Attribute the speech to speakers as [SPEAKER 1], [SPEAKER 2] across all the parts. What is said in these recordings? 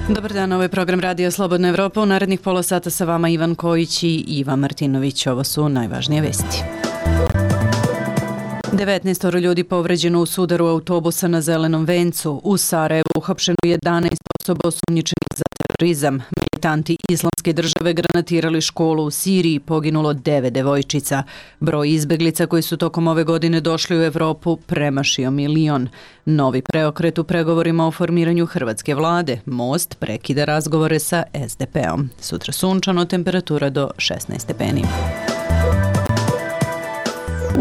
[SPEAKER 1] Dobar dan, ovo je program Radio Slobodna Evropa. U narednih pola sata sa vama Ivan Kojić i Iva Martinović. Ovo su najvažnije vesti. 19 ljudi povređeno u sudaru autobusa na Zelenom vencu. U Sarajevu uhapšeno 11 osoba osumnjičenih za terorizam. Militanti Islamske države granatirali školu u Siriji, poginulo 9 devojčica. Broj izbeglica koji su tokom ove godine došli u Evropu premašio 1 milion. Novi preokret u pregovorima o formiranju hrvatske vlade. Most prekida razgovore sa SDP-om. Sutra sunčano, temperatura do 16 stepeni.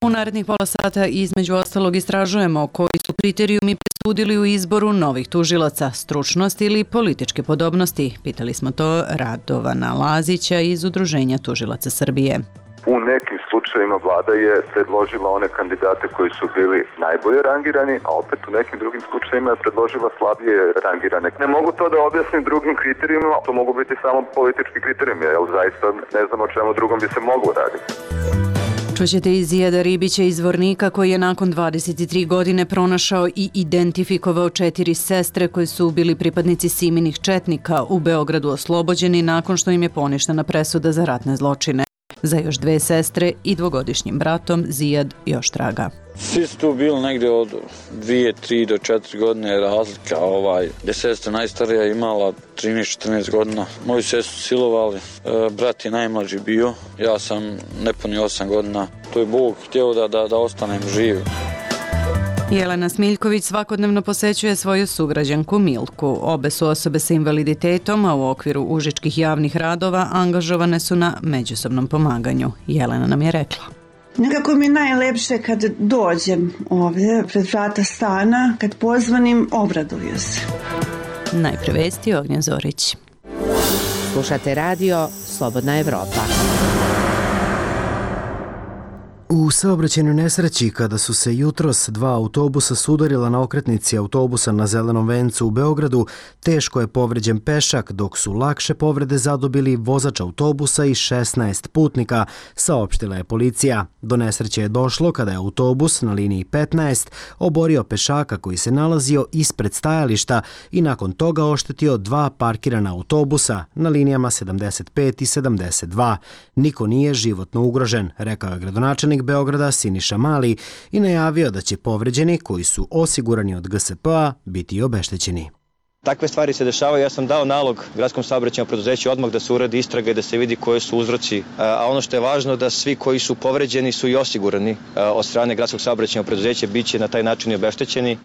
[SPEAKER 1] U narednih pola sata između ostalog istražujemo koji su kriterijumi presudili u izboru novih tužilaca, stručnost ili političke podobnosti. Pitali smo to Radovana Lazića iz Udruženja tužilaca Srbije.
[SPEAKER 2] U nekim slučajevima vlada je predložila one kandidate koji su bili najbolje rangirani, a opet u nekim drugim slučajevima je predložila slabije rangirane. Ne mogu to da objasnim drugim kriterijima, to mogu biti samo politički kriterijumi, jer zaista ne znam o čemu drugom bi se moglo raditi.
[SPEAKER 1] Čućete iz Zijada Ribića iz Zvornika koji je nakon 23 godine pronašao i identifikovao 4 sestre koje su bili pripadnici Siminih četnika u Beogradu oslobođeni nakon što im je poništena presuda za ratne zločine. Za još 2 sestre i 2-godišnjim bratom Zijad još traga.
[SPEAKER 3] Svi su tu bili negdje od 2, 3 do 4 godine razlika. Gdje sestra najstarija imala 13-14 godina. Moju sestru silovali, brat je najmlađi bio, ja sam nepunih 8 godina. To je Bog htio da ostanem živ.
[SPEAKER 1] Jelena Smiljković svakodnevno posećuje svoju sugrađanku Milku. Obe su osobe sa invaliditetom, a u okviru užičkih javnih radova angažovane su na međusobnom pomaganju. Jelena nam je rekla.
[SPEAKER 4] Nekako mi je najlepše kad dođem ovdje pred vrata stana, kad pozvanim, obraduju se.
[SPEAKER 1] Najpre vesti Ognjen Zorić.
[SPEAKER 5] Slušate radio Slobodna Evropa.
[SPEAKER 6] U saobraćajnoj nesreći kada su se jutros 2 autobusa sudarila na okretnici autobusa na Zelenom vencu u Beogradu, teško je povređen pešak, dok su lakše povrede zadobili vozač autobusa i 16 putnika, saopštila je policija. Do nesreće je došlo kada je autobus na liniji 15 oborio pešaka koji se nalazio ispred stajališta i nakon toga oštetio 2 parkirana autobusa na linijama 75 i 72. Niko nije životno ugrožen, rekao je gradonačelnik Beograda Siniša Mali i najavio da će povređeni koji su osigurani od GSP-a biti obeštećeni.
[SPEAKER 7] Takve stvari se dešavaju. Ja sam dao nalog gradskom saobraćajnom preduzeću odmah da se uradi istraga i da se vidi koji su uzroci. A ono što je važno da svi koji su povređeni su i osigurani od strane gradskog saobraćajnog preduzeća, bit će na taj način i obeštećeni.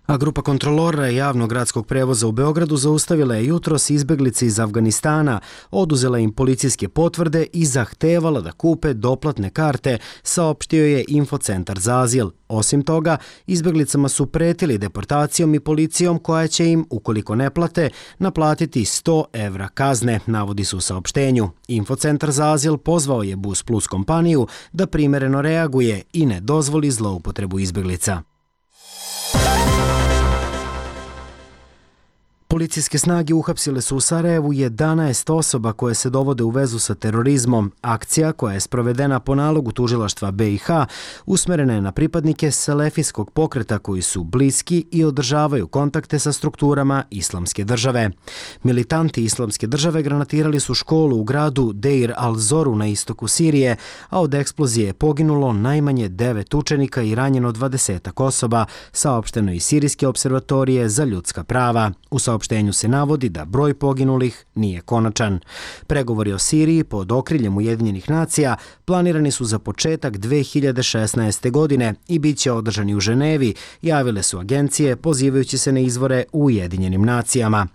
[SPEAKER 6] A grupa kontrolora javnog gradskog prevoza u Beogradu zaustavila je jutros izbeglice iz Afganistana, oduzela im policijske potvrde i zahtevala da kupe doplatne karte, saopštio je Infocentar za azil. Osim toga, izbeglicama su pretili deportacijom i policijom koja će im, ukoliko ne plate, naplatiti 100 evra kazne, navodi se u saopštenju. Infocentar za azil pozvao je Bus Plus kompaniju da primereno reaguje i ne dozvoli zloupotrebu izbeglica. Policijske snage uhapsile su u Sarajevu 11 osoba koje se dovode u vezu sa terorizmom. Akcija, koja je sprovedena po nalogu tužilaštva BiH, usmerena je na pripadnike selefijskog pokreta koji su bliski i održavaju kontakte sa strukturama Islamske države. Militanti Islamske države granatirali su školu u gradu Deir al-Zoru na istoku Sirije, a od eksplozije je poginulo najmanje 9 učenika i ranjeno 20 osoba, saopšteno iz Sirijske observatorije za ljudska prava. U saopštenju se navodi da broj poginulih nije konačan. Pregovori o Siriji pod okriljem Ujedinjenih nacija planirani su za početak 2016. godine i bit će održani u Ženevi, javile su agencije pozivajući se na izvore u Ujedinjenim nacijama.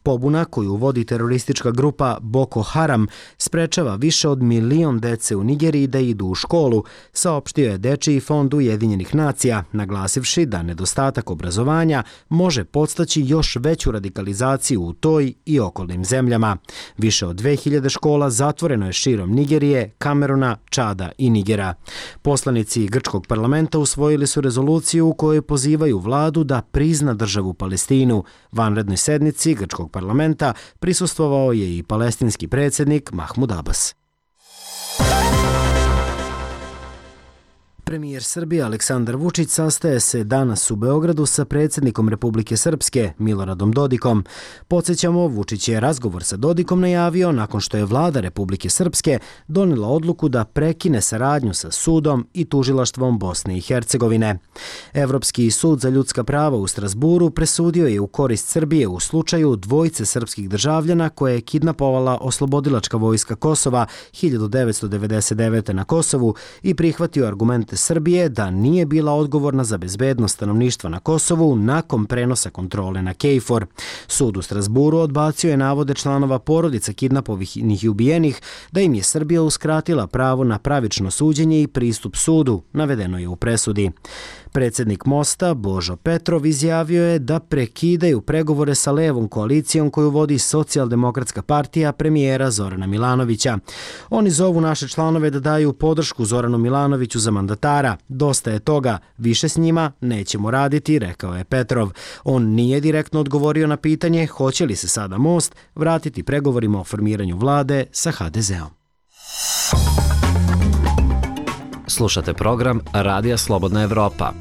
[SPEAKER 6] Pobuna koju vodi teroristička grupa Boko Haram sprečava više od 1 milion dece u Nigeriji da idu u školu, saopštio je Dečiji fond Ujedinjenih nacija, naglasivši da nedostatak obrazovanja može podstaći još veću radikalizaciju u toj i okolnim zemljama. Više od 2000 škola zatvoreno je širom Nigerije, Kameruna, Čada i Nigera. Poslanici grčkog parlamenta usvojili su rezoluciju u kojoj pozivaju vladu da prizna državu Palestinu. Vanrednoj sednici grčkog parlamenta prisustvovao je i palestinski predsjednik Mahmud Abbas. Premijer Srbije Aleksandar Vučić sastaje se danas u Beogradu sa predsjednikom Republike Srpske Miloradom Dodikom. Podsjećamo, Vučić je razgovor sa Dodikom najavio nakon što je vlada Republike Srpske donijela odluku da prekine saradnju sa sudom i tužilaštvom Bosne i Hercegovine. Evropski sud za ljudska prava u Strasburu presudio je u korist Srbije u slučaju dvojice srpskih državljana koje je kidnapovala Oslobodilačka vojska Kosova 1999. na Kosovu i prihvatio argumente Srbije da nije bila odgovorna za bezbednost stanovništva na Kosovu nakon prenosa kontrole na KFOR. Sud u Strasburu odbacio je navode članova porodica kidnapovanih i ubijenih da im je Srbija uskratila pravo na pravično suđenje i pristup sudu, navedeno je u presudi. Predsjednik Mosta, Božo Petrov, izjavio je da prekidaju pregovore sa levom koalicijom koju vodi Socijaldemokratska partija premijera Zorana Milanovića. Oni zovu naše članove da daju podršku Zoranu Milanoviću za mandatara. Dosta je toga, više s njima nećemo raditi, rekao je Petrov. On nije direktno odgovorio na pitanje hoće li se sada Most vratiti pregovorima o formiranju vlade sa HDZ-om.
[SPEAKER 8] Slušate program Radija Slobodna Evropa.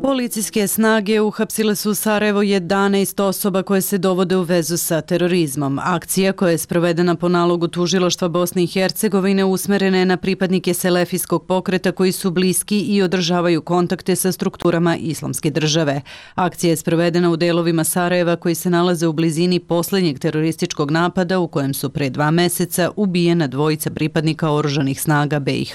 [SPEAKER 1] Policijske snage uhapsile su u Sarajevu 11 osoba koje se dovode u vezu sa terorizmom. Akcija koja je sprovedena po nalogu tužilaštva Bosne i Hercegovine usmerena je na pripadnike selefijskog pokreta koji su bliski i održavaju kontakte sa strukturama Islamske države. Akcija je sprovedena u delovima Sarajeva koji se nalaze u blizini posljednjeg terorističkog napada u kojem su pre 2 meseca ubijena dvojica pripadnika oružanih snaga BiH.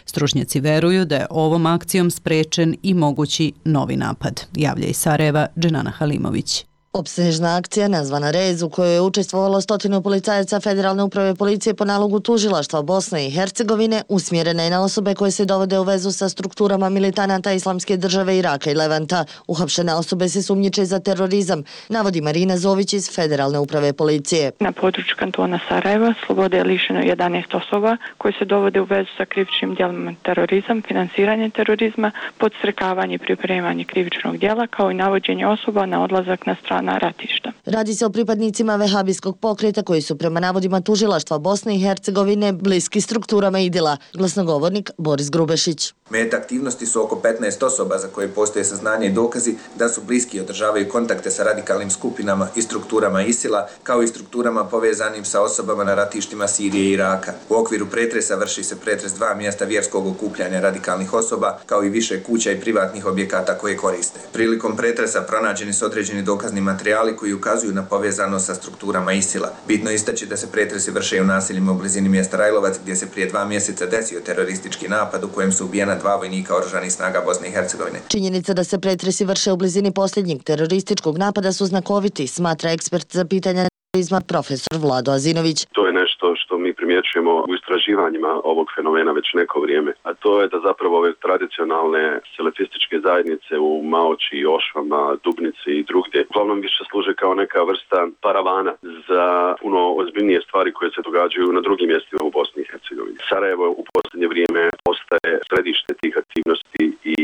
[SPEAKER 1] Stručnjaci veruju da je ovom akcijom sprečen i mogući novi napad, javlja iz Sarajeva Dženana Halimović.
[SPEAKER 9] Opsežna akcija nazvana Rez u kojoj je učestvovalo 100 policajaca Federalne uprave policije po nalogu tužilaštva Bosne i Hercegovine usmjerena je na osobe koje se dovode u vezu sa strukturama militanata Islamske države Iraka i Levanta. Uhapšene osobe se sumnjiče za terorizam, navodi Marina Zović iz Federalne uprave policije.
[SPEAKER 10] Na području kantona Sarajeva slobode je lišeno 11 osoba koje se dovode u vezu sa krivičnim djelima terorizam, finansiranje terorizma, podstrekavanje i pripremanje krivičnog djela kao i navođenje osoba na odlazak na stranu ratišta.
[SPEAKER 9] Radi se o pripadnicima vehabijskog pokreta koji su prema navodima tužilaštva Bosne i Hercegovine bliski strukturama IDIL-a. Glasnogovornik Boris Grubešić.
[SPEAKER 11] Meta aktivnosti su oko 15 osoba za koje postoje saznanje i dokazi da su bliski i održavaju kontakte sa radikalnim skupinama i strukturama ISIL-a, kao i strukturama povezanim sa osobama na ratištima Sirije i Iraka. U okviru pretresa vrši se pretres 2 mjesta vjerskog okupljanja radikalnih osoba, kao i više kuća i privatnih objekata koje koriste. Prilikom pretresa pronađeni su određeni dokazni materijali koji ukazuju na povezanost sa strukturama ISIL-a. Bitno je istaći da se pretresi vrše u naseljima u blizini mjesta Rajlovac, gdje se prije 2 mjeseca desio teroristički napad u kojem su ubijena 2 vojnika oružanih snaga Bosne i Hercegovine.
[SPEAKER 9] Činjenica da se pretresi vrše u blizini posljednjeg terorističkog napada su znakoviti, smatra ekspert za pitanja terorizma profesor Vlado Azinović.
[SPEAKER 12] To je nešto što mi primjećujemo u istraživanjima ovog fenomena već neko vrijeme, a to je da zapravo ove tradicionalne selefističke zajednice u Maoči, Ošvama, Dubnici i drugdje uglavnom više služe kao neka vrsta paravana za puno ozbiljnije stvari koje se događaju na drugim mjestima u Bosni i Hercegovini. Sarajevo u posljednje vrijeme postaje središte tih aktivnosti i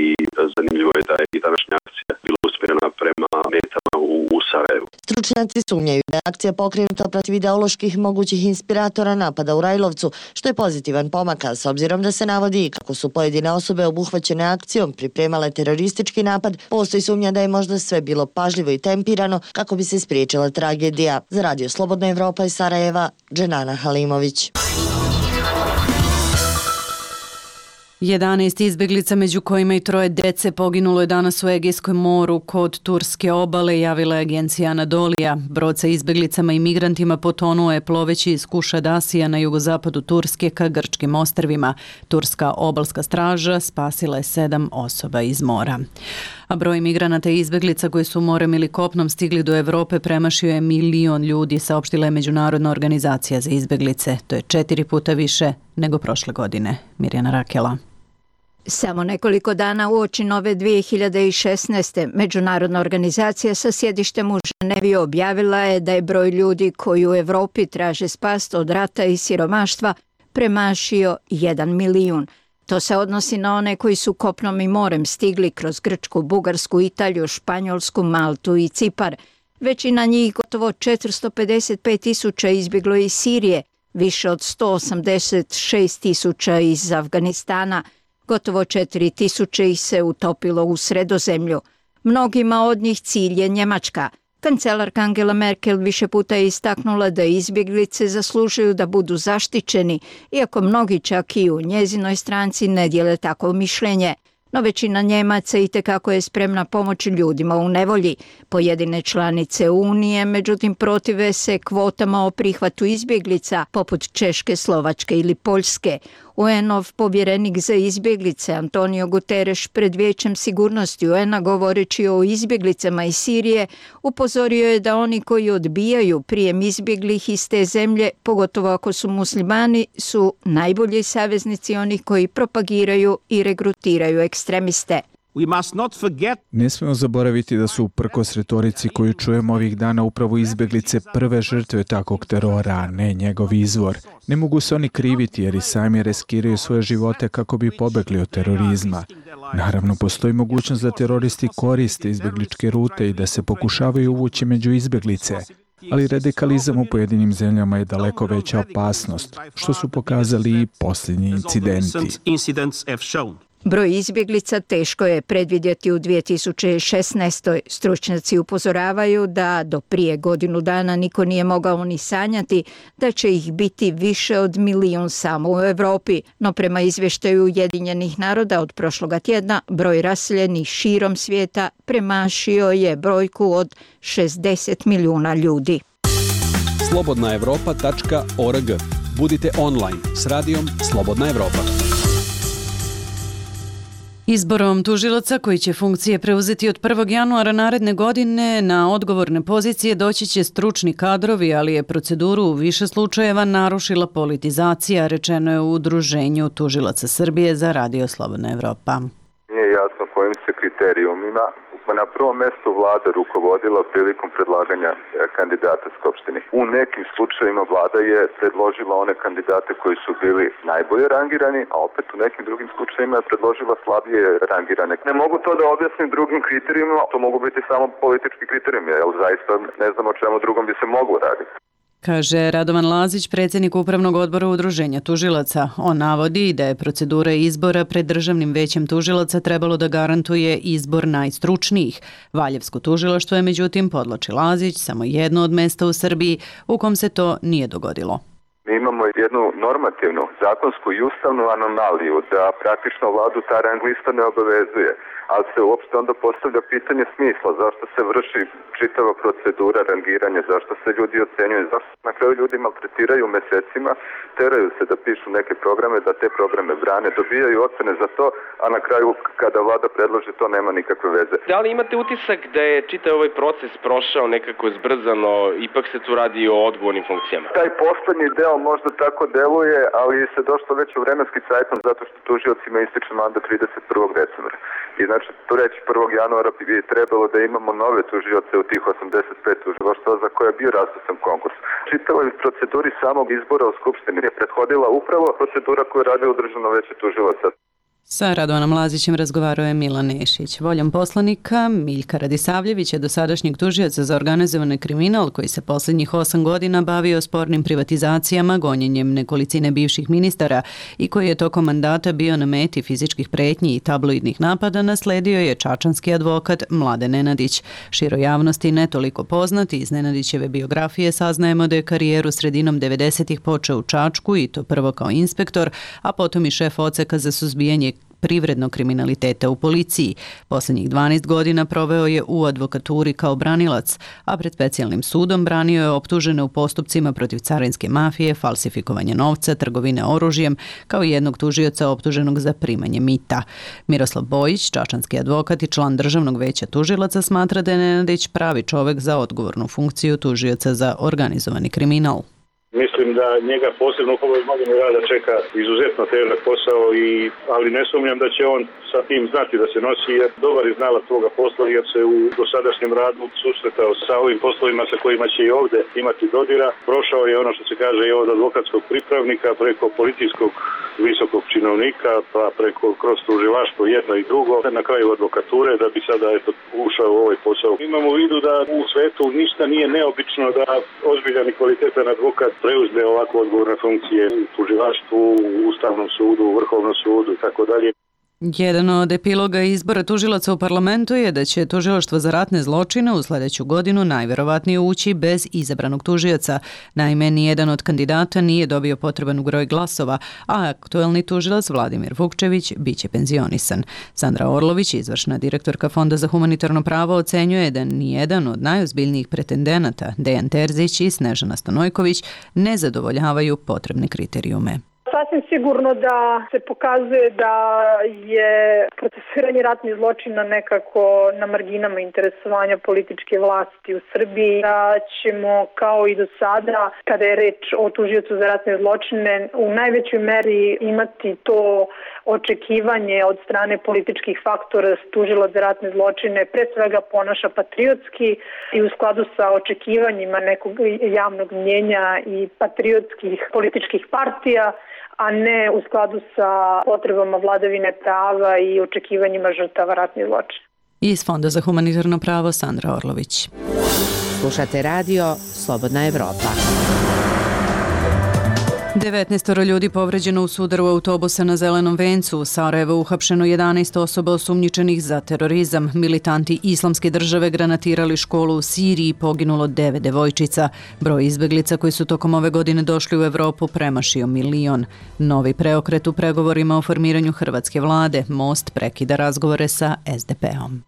[SPEAKER 12] zanimljivo je da je i današnja akcija bila usmjerena prema metama u Sarajevu.
[SPEAKER 9] Stručnjaci sumnjaju da je akcija pokrenuta protiv ideoloških mogućih inspiratora napada u Rajlovcu, što je pozitivan pomak, s obzirom da se navodi kako su pojedine osobe obuhvaćene akcijom pripremale teroristički napad, postoji sumnja da je možda sve bilo pažljivo i tempirano kako bi se spriječila tragedija. Za Radio Slobodna Evropa iz Sarajeva, Dženana Halimović.
[SPEAKER 1] 11 izbjeglica, među kojima i 3 dece, poginulo je danas u Egejskom moru kod turske obale, javila je agencija Anadolija. Brod sa izbjeglicama i migrantima potonuo je ploveći iz Kušadasija na jugozapadu Turske ka grčkim ostrvima. Turska obalska straža spasila je 7 osoba iz mora. A broj migranata i izbjeglica koji su morem ili kopnom stigli do Evrope premašio je 1 milion ljudi, saopštila je Međunarodna organizacija za izbjeglice. To je 4 puta više nego prošle godine. Mirjana Rakela.
[SPEAKER 13] Samo nekoliko dana uoči nove 2016. Međunarodna organizacija sa sjedištem u Ženevi objavila je da je broj ljudi koji u Evropi traže spas od rata i siromaštva premašio 1 milijun. To se odnosi na one koji su kopnom i morem stigli kroz Grčku, Bugarsku, Italiju, Španjolsku, Maltu i Cipar. Većina njih, gotovo 455.000, izbjeglo iz Sirije, više od 186.000 iz Afganistana, gotovo 4.000 ih se utopilo u Sredozemlju. Mnogima od njih cilj je Njemačka. Kancelarka Angela Merkel više puta je istaknula da izbjeglice zaslužuju da budu zaštićeni, iako mnogi čak i u njezinoj stranci ne dijele takvo mišljenje. No većina Njemaca itekako je spremna pomoći ljudima u nevolji. Pojedine članice Unije, međutim, protive se kvotama o prihvatu izbjeglica, poput Češke, Slovačke ili Poljske. UN-ov povjerenik za izbjeglice Antonio Guterres pred Vijećem sigurnosti UN-a govoreći o izbjeglicama iz Sirije upozorio je da oni koji odbijaju prijem izbjeglih iz te zemlje, pogotovo ako su muslimani, su najbolji saveznici onih koji propagiraju i regrutiraju ekstremiste.
[SPEAKER 14] Ne smijemo zaboraviti da su uprkos retorici koju čujemo ovih dana upravo izbjeglice prve žrtve takvog terora, a ne njegov izvor. Ne mogu se oni kriviti jer i sami riskiraju svoje živote kako bi pobegli od terorizma. Naravno, postoji mogućnost da teroristi koriste izbjegličke rute i da se pokušavaju uvući među izbjeglice. Ali radikalizam u pojedinim zemljama je daleko veća opasnost, što su pokazali i posljednji incidenti.
[SPEAKER 13] Broj izbjeglica teško je predvidjeti u 2016. Stručnjaci upozoravaju da do prije godinu dana niko nije mogao ni sanjati da će ih biti više od 1 milijun samo u Europi. No prema izvještaju Ujedinjenih naroda od prošloga tjedna, broj raseljenih širom svijeta premašio je brojku od 60 milijuna ljudi.
[SPEAKER 15] slobodnaevropa.org. Budite online s radijom Slobodna Evropa.
[SPEAKER 1] Izborom tužilaca koji će funkcije preuzeti od 1. januara naredne godine na odgovorne pozicije doći će stručni kadrovi, ali je proceduru u više slučajeva narušila politizacija, rečeno je u Udruženju tužilaca Srbije za Radio Slobodna Evropa.
[SPEAKER 2] Nije jasno kojim se kriterijumima na prvom mjestu vlada rukovodila prilikom predlaganja kandidata Skupštini. U nekim slučajevima vlada je predložila one kandidate koji su bili najbolje rangirani, a opet u nekim drugim slučajevima je predložila slabije rangirane. Ne mogu to da objasnim drugim kriterijima, to mogu biti samo politički kriterijumi, jer zaista ne znam o čemu drugom bi se moglo raditi.
[SPEAKER 1] Kaže Radovan Lazić, predsjednik Upravnog odbora Udruženja tužilaca. On navodi da je procedura izbora pred Državnim većem tužilaca trebalo da garantuje izbor najstručnijih. Valjevsko tužilaštvo je međutim, podvlači Lazić, samo jedno od mesta u Srbiji u kom se to nije dogodilo.
[SPEAKER 2] Mi imamo jednu normativnu, zakonsku i ustavnu anomaliju da praktično vladu ta rang lista ne obavezuje, ali se uopšte onda postavlja pitanje smisla, zašto se vrši čitava procedura rangiranja, zašto se ljudi ocenjuju, zašto na kraju ljudi maltretiraju mesecima, teraju se da pišu neke programe, da te programe brane, dobijaju ocene za to, a na kraju kada vlada predloži to nema nikakve veze.
[SPEAKER 16] Da li imate utisak da je čitav ovaj proces prošao nekako zbrzano, ipak se tu radi o odgovornim funkcijama?
[SPEAKER 2] Taj poslednji deo možda tako deluje, ali se došlo već u vremenski cajtnom zato što tužiocima ističe mandat 31. decembra. I znači, tu reći 1. januara bi trebalo da imamo nove tužioce u tih 85 tužilaštva za koje je bio raspisan konkurs. Čitavoj proceduri samog izbora u Skupštini je prethodila upravo procedura koju je radio Državno veće tužilaca.
[SPEAKER 1] Sa Radovanom Lazićem razgovarao je Milan Nešić. Voljom poslanika Miljka Radisavljevića, dosadašnjeg tužioca za organizovani kriminal koji se posljednjih 8 godina bavio spornim privatizacijama, gonjenjem nekolicine bivših ministara i koji je tokom mandata bio na meti fizičkih pretnji i tabloidnih napada, nasledio je čačanski advokat Mladen Nenadić. Široj javnosti ne toliko poznati iz Nenadićeve biografije saznajemo da je karijeru sredinom 90-ih počeo u Čačku i to prvo kao inspektor, a potom i šef odseka za suzbijanje privrednog kriminaliteta u policiji. Posljednjih 12 godina proveo je u advokaturi kao branilac, a pred specijalnim sudom branio je optužene u postupcima protiv carinske mafije, falsifikovanja novca, trgovine oružjem, kao i jednog tužioca optuženog za primanje mita. Miroslav Bojić, čačanski advokat i član Državnog veća tužilaca, smatra da je Nenadić pravi čovjek za odgovornu funkciju tužioca za organizovani kriminal.
[SPEAKER 17] Mislim da njega posebno u ovoj godini rada čeka izuzetno težak posao, ali ne sumnjam da će on sa tim znati da se nosi, jer dobar je znalac svoga posla, jer se u dosadašnjem radu susretao sa ovim poslovima sa kojima će i ovdje imati dodira. Prošao je ono što se kaže i od advokatskog pripravnika preko policijskog visokog činovnika, pa preko kroz tužilaštvo jedno i drugo, na kraju advokature, da bi sada ušao u ovaj posao. Imamo u vidu da u svetu ništa nije neobično da ozbiljan i kvalitetan advokat preuzme ovako odgovorne funkcije u tužilaštvu, u Ustavnom sudu, u Vrhovnom sudu i tako dalje.
[SPEAKER 1] Jedan od epiloga izbora tužilaca u parlamentu je da će tužilaštvo za ratne zločine u sledeću godinu najverovatnije ući bez izabranog tužioca. Naime, nijedan od kandidata nije dobio potreban broj glasova, a aktuelni tužilac Vladimir Vukčević biće penzionisan. Sandra Orlović, izvršna direktorka Fonda za humanitarno pravo, ocenjuje da nijedan od najozbiljnijih pretendenata, Dejan Terzić i Snežana Stanojković, ne zadovoljavaju potrebne kriterijume.
[SPEAKER 18] Sasvim sigurno da se pokazuje da je procesuiranje ratnih zločina nekako na marginama interesovanja političke vlasti u Srbiji, da ćemo kao i do sada, kada je reč o tužiocu za ratne zločine, u najvećoj meri imati to očekivanje od strane političkih faktora da se tužilac za ratne zločine pre svega ponaša patriotski i u skladu sa očekivanjima nekog javnog mnjenja i patriotskih političkih partija, a ne u skladu sa potrebama vladavine prava i očekivanjima žrtava ratnih zločina.
[SPEAKER 1] Iz Fonda za humanitarno pravo Sandra Orlović.
[SPEAKER 5] Slušate radio Slobodna Evropa.
[SPEAKER 1] 19 ljudi povređeno u sudaru autobusa na Zelenom vencu. U Sarajevu uhapšeno 11 osoba osumnjičenih za terorizam. Militanti Islamske države granatirali školu u Siriji, poginulo 9 devojčica. Broj izbeglica koji su tokom ove godine došli u Evropu premašio 1 milion. Novi preokret u pregovorima o formiranju hrvatske vlade. Most prekida razgovore sa SDP-om.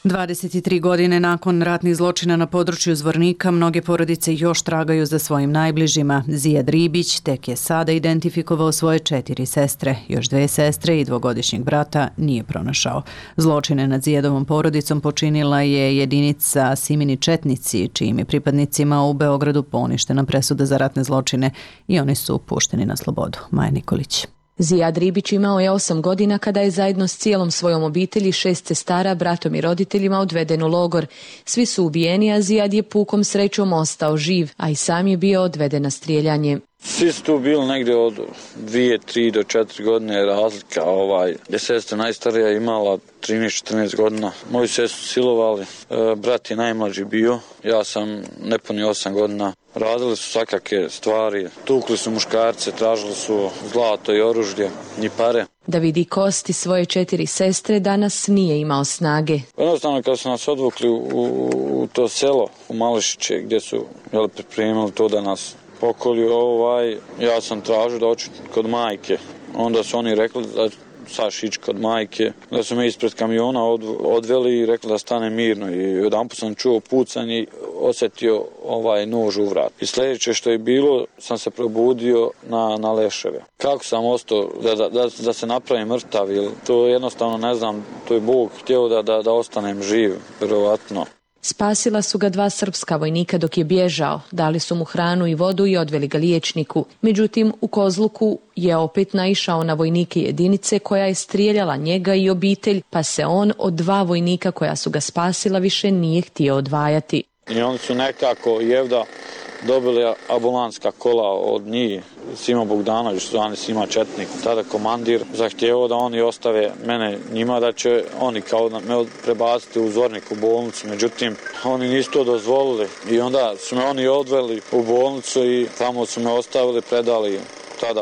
[SPEAKER 1] 23 godine nakon ratnih zločina na području Zvornika, mnoge porodice još tragaju za svojim najbližima. Zijad Ribić tek je sada identifikovao svoje 4 sestre. Još 2 sestre i 2-godišnjeg brata nije pronašao. Zločine nad Zijadovom porodicom počinila je jedinica Simini Četnici, čijim je pripadnicima u Beogradu poništena presuda za ratne zločine i oni su pušteni na slobodu. Maja Nikolić.
[SPEAKER 19] Zijad Ribić imao je 8 godina kada je zajedno s cijelom svojom obitelji, 6 sestara, bratom i roditeljima odveden u logor. Svi su ubijeni, a Zijad je pukom srećom ostao živ, a i sam je bio odveden na strijeljanje.
[SPEAKER 3] Svi su tu bili negdje od 2, 3 do 4 godine razlika. Gdje sestra najstarija imala 13-14 godina. Moju sestru silovali, brat je najmlađi bio, ja sam nepunio 8 godina. Radili su svakake stvari, tukli su muškarce, tražili su zlato i oružje i pare.
[SPEAKER 19] Da vidi kosti svoje 4 sestre, danas nije imao snage.
[SPEAKER 3] Jednostavno kad su nas odvukli u to selo, u Mališiće, gdje su pripremili to da nas pokolju, ja sam tražio da hoću kod majke. Onda su oni rekli da saš ići kod majke, da su me ispred kamiona odveli i rekli da stane mirno. I jedanput sam čuo pucanje i osjetio nož u vrat. I sljedeće što je bilo, sam se probudio na leševe. Kako sam ostao da se napravim mrtav, to jednostavno ne znam, to je Bog htio da ostanem živ, vjerovatno.
[SPEAKER 19] Spasila su ga 2 srpska vojnika dok je bježao, dali su mu hranu i vodu i odveli ga liječniku. Međutim, u Kozluku je opet naišao na vojnike jedinice koja je strijeljala njega i obitelj, pa se on od 2 vojnika koja su ga spasila više nije htio odvajati.
[SPEAKER 3] I oni su nekako Jevda dobili ambulanska kola od njih, Sima Bogdanović, zvani Sima Četnik, tada komandir, zahtjevao da oni ostave mene njima, da će oni kao me prebaciti u Zvornik u bolnicu, međutim oni nisu to dozvolili i onda su me oni odveli u bolnicu i tamo su me ostavili, predali tada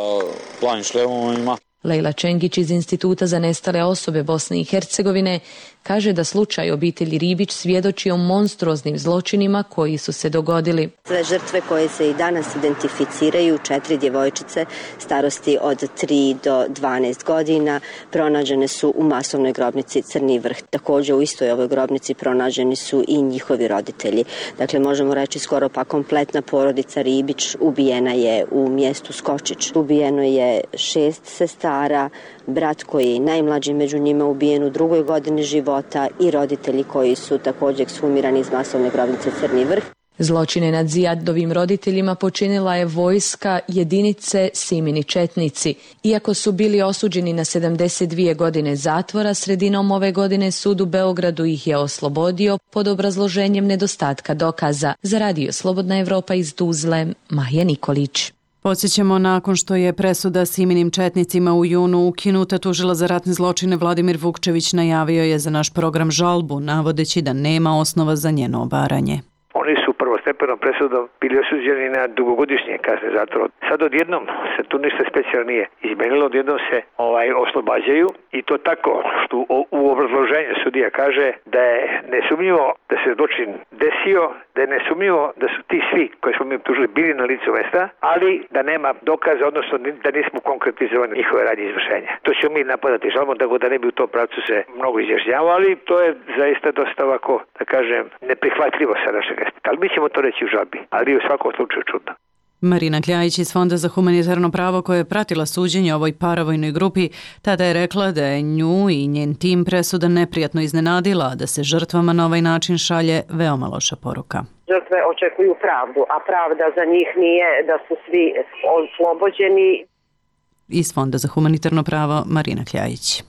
[SPEAKER 3] Planim Šlemovima.
[SPEAKER 19] Lejla Čengić iz Instituta za nestale osobe Bosne i Hercegovine kaže da slučaj obitelji Ribić svjedoči o monstruoznim zločinima koji su se dogodili.
[SPEAKER 20] Sve žrtve koje se i danas identificiraju, 4 djevojčice starosti od 3 do 12 godina, pronađene su u masovnoj grobnici Crni Vrh. Također u istoj ovoj grobnici pronađeni su i njihovi roditelji. Dakle, možemo reći skoro pa kompletna porodica Ribić ubijena je u mjestu Skočić. Ubijeno je 6 sestara, brat koji je najmlađi među njima ubijen u 2. godini života i roditelji koji su također ekshumirani iz masovne grobnice Crni Vrh.
[SPEAKER 19] Zločine nad Zijadovim roditeljima počinila je vojska jedinice Simini Četnici. Iako su bili osuđeni na 72 godine zatvora, sredinom ove godine sud u Beogradu ih je oslobodio pod obrazloženjem nedostatka dokaza. Za radio Slobodna Evropa iz Tuzle, Maja Nikolić.
[SPEAKER 1] Podsjećamo, nakon što je presuda Siminim četnicima u junu ukinuta, tužilac za ratne zločine Vladimir Vukčević najavio je za naš program žalbu, navodeći da nema osnova za njeno obaranje.
[SPEAKER 21] Oni su prvo prvostepenom presudom bili osuđeni na dugogodišnje kazne zatvora. Sad odjednom se tu ništa specijalno nije izmenilo, odjednom se oslobađaju i to tako što u obrazloženju sudija kaže da je nesumnjivo da se zločin desio, da je nesumnjivo da su ti svi koji smo mi optužili bili na licu mesta, ali da nema dokaza, odnosno da nismo konkretizovali njihove radnje izvršenja. To ćemo mi napadati žalbom, tako da ne bi u tom pravcu se mnogo izjašnjavao, ali to je zaista dosta ovako, da kažem, neprihvatljivo sa našeg aspekta. Ali mi ćemo to reći u žalbi, ali u svakom slučaju čudno.
[SPEAKER 1] Marina Kljajić iz Fonda za humanitarno pravo koja je pratila suđenje ovoj paravojnoj grupi, tada je rekla da je nju i njen tim presuda neprijatno iznenadila, a da se žrtvama na ovaj način šalje veoma loša poruka.
[SPEAKER 22] Žrtve očekuju pravdu, a pravda za njih nije da su svi oslobođeni.
[SPEAKER 1] Iz Fonda za humanitarno pravo Marina Kljajić.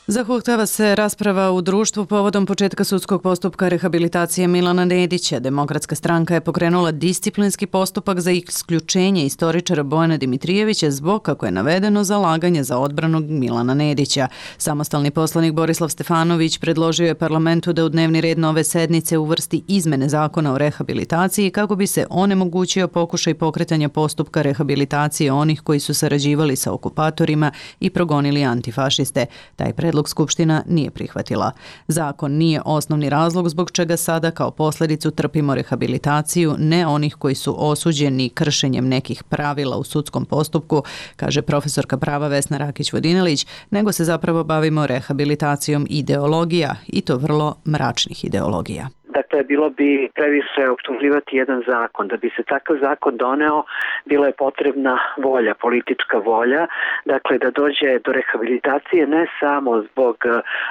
[SPEAKER 1] Zahuktava se rasprava u društvu povodom početka sudskog postupka rehabilitacije Milana Nedića. Demokratska stranka je pokrenula disciplinski postupak za isključenje istoričara Bojana Dimitrijevića zbog, kako je navedeno, zalaganja za odbranu Milana Nedića. Samostalni poslanik Borislav Stefanović predložio je parlamentu da u dnevni red nove sednice uvrsti izmene zakona o rehabilitaciji kako bi se onemogućio pokušaj pokretanja postupka rehabilitacije onih koji su sarađivali sa okupatorima i progonili antifašiste. Taj predlog Skupština nije prihvatila. Zakon nije osnovni razlog zbog čega sada kao posljedicu trpimo rehabilitaciju ne onih koji su osuđeni kršenjem nekih pravila u sudskom postupku, kaže profesorka prava Vesna Rakić-Vodinelić, nego se zapravo bavimo rehabilitacijom ideologija i to vrlo mračnih ideologija.
[SPEAKER 23] Dakle, bilo bi previše optuživati jedan zakon. Da bi se takav zakon doneo, bila je potrebna volja, politička volja, dakle da dođe do rehabilitacije ne samo zbog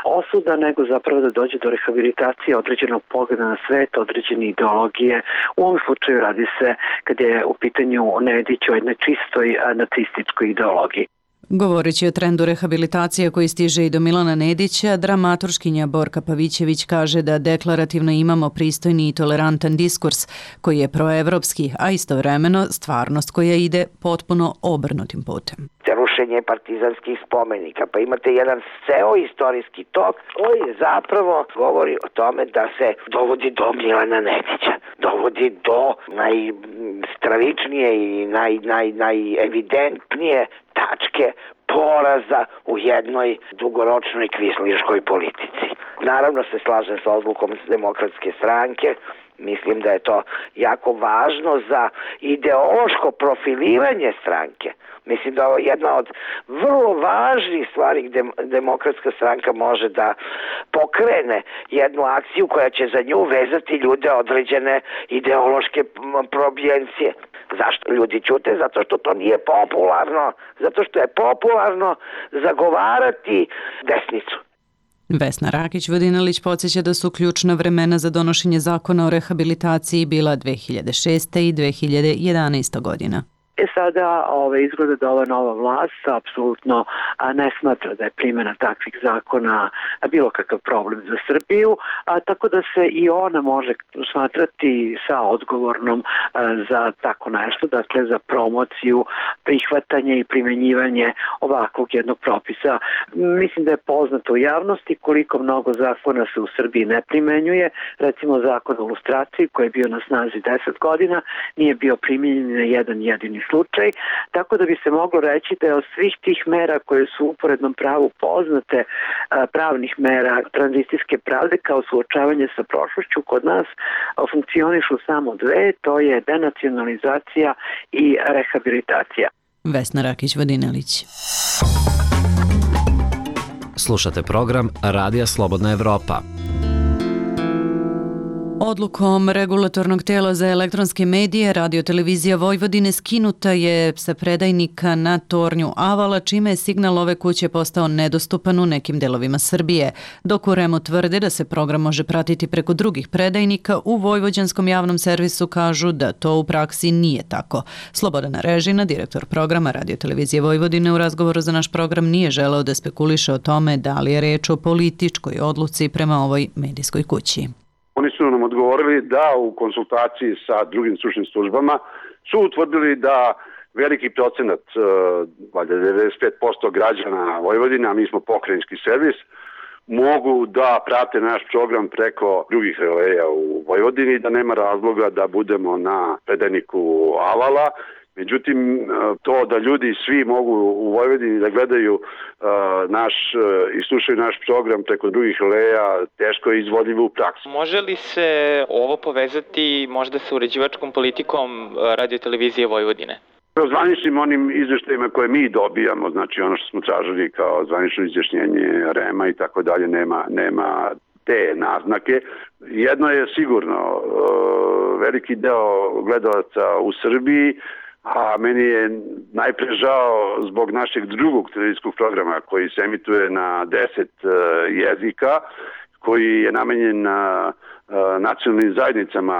[SPEAKER 23] osuda, nego zapravo da dođe do rehabilitacije određenog pogleda na svet, određene ideologije. U ovom slučaju radi se, kad je u pitanju Nedić, o jednoj čistoj nacističkoj ideologiji.
[SPEAKER 1] Govoreći o trendu rehabilitacije koji stiže i do Milana Nedića, dramaturškinja Borka Pavićević kaže da deklarativno imamo pristojni i tolerantan diskurs koji je proevropski, a istovremeno stvarnost koja ide potpuno obrnutim putem.
[SPEAKER 24] Rušenje partizanskih spomenika, pa imate jedan ceo istorijski tok koji zapravo govori o tome da se dovodi do Milana Nedića, dovodi do najstravičnije i najevidentnije tačke poraza u jednoj dugoročnoj kvislinškoj politici. Naravno se slažem sa odlukom Demokratske stranke. Mislim da je to jako važno za ideološko profiliranje stranke. Mislim da je jedna od vrlo važnih stvari gdje Demokratska stranka može da pokrene jednu akciju koja će za nju vezati ljude određene ideološke probijencije. Zašto ljudi ćute? Zato što to nije popularno. Zato što je popularno zagovarati desnicu.
[SPEAKER 1] Vesna Rakić-Vodinelić podsjeća da su ključna vremena za donošenje zakona o rehabilitaciji bila 2006. i 2011. godina.
[SPEAKER 23] Sada izgleda da ova nova vlast apsolutno ne smatra da je primjena takvih zakona bilo kakav problem za Srbiju, tako da se i ona može smatrati sa odgovornom za tako nešto, dakle za promociju, prihvatanje i primjenjivanje ovakvog jednog propisa. Mislim da je poznato u javnosti koliko mnogo zakona se u Srbiji ne primenjuje. Recimo zakon o lustraciji koji je bio na snazi 10 godina nije bio primjenjen na jedan jedini slučaj, tako da bi se moglo reći da je od svih tih mera koje su u uporednom pravu poznate, pravnih mera tranzicijske pravde kao suočavanje sa prošlošću, kod nas funkcionišu samo dve, to je denacionalizacija i rehabilitacija.
[SPEAKER 1] Vesna Rakić-Vodinelić.
[SPEAKER 8] Slušate program Radija Slobodna Evropa.
[SPEAKER 1] Odlukom regulatornog tela za elektronske medije Radiotelevizija Vojvodine skinuta je sa predajnika na tornju Avala, čime je signal ove kuće postao nedostupan u nekim delovima Srbije. Dok u REM-u tvrde da se program može pratiti preko drugih predajnika, u Vojvođanskom javnom servisu kažu da to u praksi nije tako. Slobodana Režina, direktor programa Radiotelevizije Vojvodine, u razgovoru za naš program nije želeo da spekuliše o tome da li je reč o političkoj odluci prema ovoj medijskoj kući.
[SPEAKER 25] Oni su nam odgovorili da u konsultaciji sa drugim stručnim službama su utvrdili da veliki procenat, valjda 95% građana Vojvodine, a mi smo pokrajinski servis, mogu da prate naš program preko drugih releja u Vojvodini, da nema razloga da budemo na predajniku Avala. Međutim, to da ljudi svi mogu u Vojvodini da gledaju i slušaju naš program preko drugih releja, teško je izvodljivo u praksi.
[SPEAKER 4] Može li se ovo povezati možda sa uređivačkom politikom Radio-televizije Vojvodine?
[SPEAKER 25] Zvaničnim onim izveštajima koje mi dobijamo, znači ono što smo tražili kao zvanično izjašnjenje REM-a i tako dalje, nema te naznake. Jedno je sigurno, veliki deo gledalaca u Srbiji, a meni je najpre žao zbog našeg drugog televizijskog programa koji se emituje na 10 jezika, koji je namenjen nacionalnim zajednicama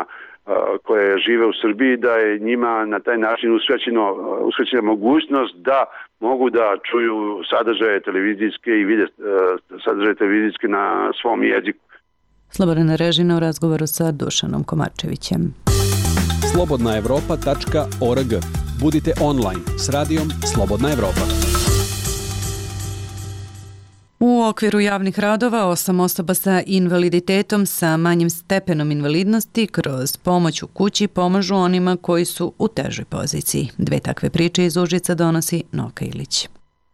[SPEAKER 25] koje žive u Srbiji, da je njima na taj način uskraćena mogućnost da mogu da čuju sadržaje televizijske i vide sadržaje televizijske na svom jeziku.
[SPEAKER 1] Slobodan Režina u razgovoru sa Dušanom Komarčevićem.
[SPEAKER 15] slobodnaevropa.org. Budite online s radijom Slobodna Evropa.
[SPEAKER 1] U okviru javnih radova 8 osoba sa invaliditetom sa manjim stepenom invalidnosti kroz pomoć u kući pomažu onima koji su u težoj poziciji. 2 takve priče iz Užica donosi Novka Ilić.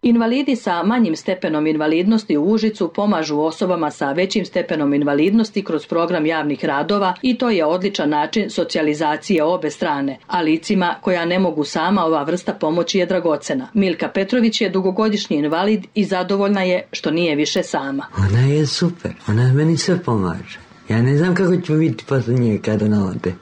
[SPEAKER 6] Invalidi sa manjim stepenom invalidnosti u Užicu pomažu osobama sa većim stepenom invalidnosti kroz program javnih radova i to je odličan način socijalizacije obe strane, a licima koja ne mogu sama ova vrsta pomoći je dragocena. Milka Petrović je dugogodišnji invalid i zadovoljna je što nije više sama.
[SPEAKER 7] Ona je super, ona meni sve pomaže. Ja ne znam kako ću biti posle nje kada ona ode.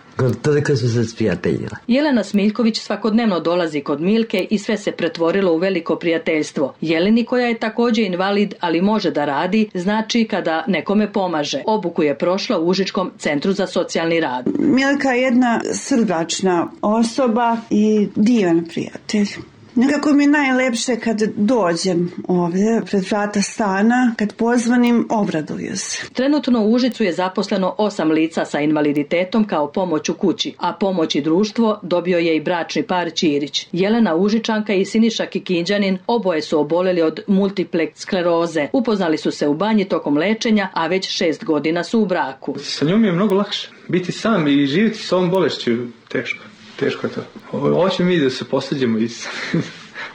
[SPEAKER 7] Toliko su se sprijateljila.
[SPEAKER 6] Jelena Smiljković svakodnevno dolazi kod Milke i sve se pretvorilo u veliko prijateljstvo. Jeleni, koja je također invalid, ali može da radi, znači kada nekome pomaže. Obuku je prošla u Užičkom centru za socijalni rad.
[SPEAKER 10] Milka je jedna srdačna osoba i divan prijatelj. Nekako mi je najlepše kad dođem ovdje pred vrata stana, kad pozvanim, obraduju se.
[SPEAKER 6] Trenutno u Užicu je zaposleno 8 lica sa invaliditetom kao pomoć u kući, a pomoć i društvo dobio je i bračni par Ćirić. Jelena Užičanka i Siniša Kikinđanin oboje su oboleli od multiple skleroze. Upoznali su se u banji tokom lečenja, a već 6 godina su u braku.
[SPEAKER 11] Sa njom je mnogo lakše. Biti sam i živjeti s ovom bolešću teško. Teško je to. Hoće mi da se posađemo i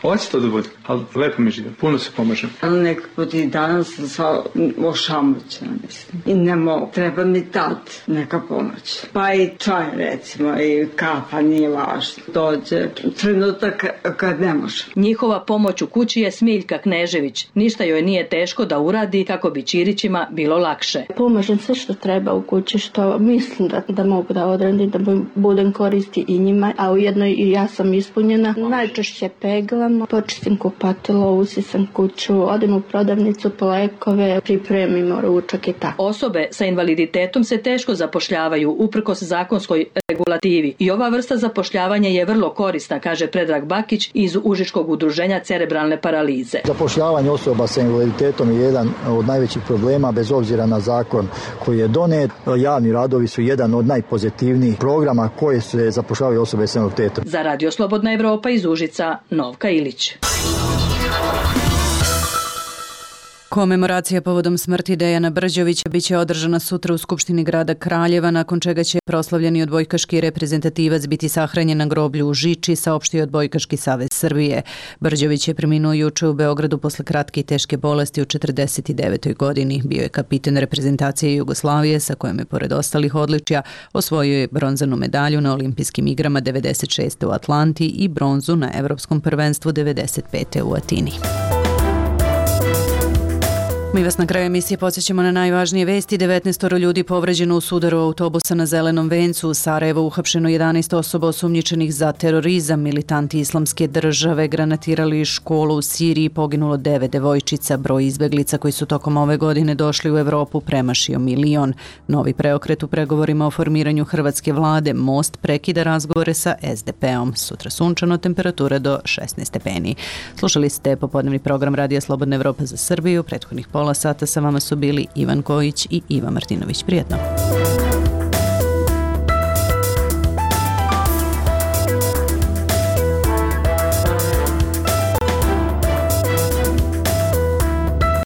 [SPEAKER 11] hoće to da bude, ali lepo mi žive, puno se pomažem.
[SPEAKER 10] Nek put i danas sam ošamućena, mislim. I ne mogu, treba mi tad neka pomoć. Pa i čaj, recimo, i kafa, nije važno. Dođe trenutak kad ne može.
[SPEAKER 6] Njihova pomoć u kući je Smiljka Knežević. Ništa joj nije teško da uradi kako bi Ćirićima bilo lakše.
[SPEAKER 26] Pomažem sve što treba u kući, što mislim da mogu da odradim, da budem koristi i njima, a ujedno i ja sam ispunjena. Najčešće peglam, počistim kupatilo, usisam kuću, odem u prodavnicu po lekove, pripremimo ručak i tako.
[SPEAKER 6] Osobe sa invaliditetom se teško zapošljavaju uprkos zakonskoj regulativi i ova vrsta zapošljavanja je vrlo korisna, kaže Predrag Bakić iz Užičkog udruženja cerebralne paralize.
[SPEAKER 27] Zapošljavanje osoba sa invaliditetom je jedan od najvećih problema bez obzira na zakon koji je donet. Javni radovi su jedan od najpozitivnijih programa koje se zapošljavaju osobe sa invaliditetom.
[SPEAKER 6] Za Radio Slobodna Evropa iz Užica, Novka Ilić.
[SPEAKER 1] Komemoracija povodom smrti Dejana Brđovića biće održana sutra u Skupštini grada Kraljeva, nakon čega će proslavljeni odbojkaški reprezentativac biti sahranjen na groblju u Žiči, saopštio Odbojkaški savez Srbije. Brđović je preminuo juče u Beogradu posle kratke i teške bolesti u 49. godini. Bio je kapiten reprezentacije Jugoslavije, sa kojom je pored ostalih odličja osvojio je bronzanu medalju na olimpijskim igrama 96. u Atlanti i bronzu na Evropskom prvenstvu 95. u Atini. Mi vas na kraju emisije podsjećamo na najvažnije vesti. 19 ljudi povređeno u sudaru autobusa na Zelenom vencu. U Sarajevu uhapšeno 11 osoba osumnjičenih za terorizam. Militanti Islamske države granatirali školu u Siriji. Poginulo 9 devojčica. Broj izbeglica koji su tokom ove godine došli u Evropu premašio 1 milion. Novi preokret u pregovorima o formiranju hrvatske vlade. Most prekida razgovore sa SDP-om. Sutra sunčano, temperatura do 16 stepeni. Slušali ste popodnevni program Radija Slobodna Evropa za Srbiju. Prethodnih pola sata sa vama su bili Ivan Kojić i Iva Martinović. Prijetno.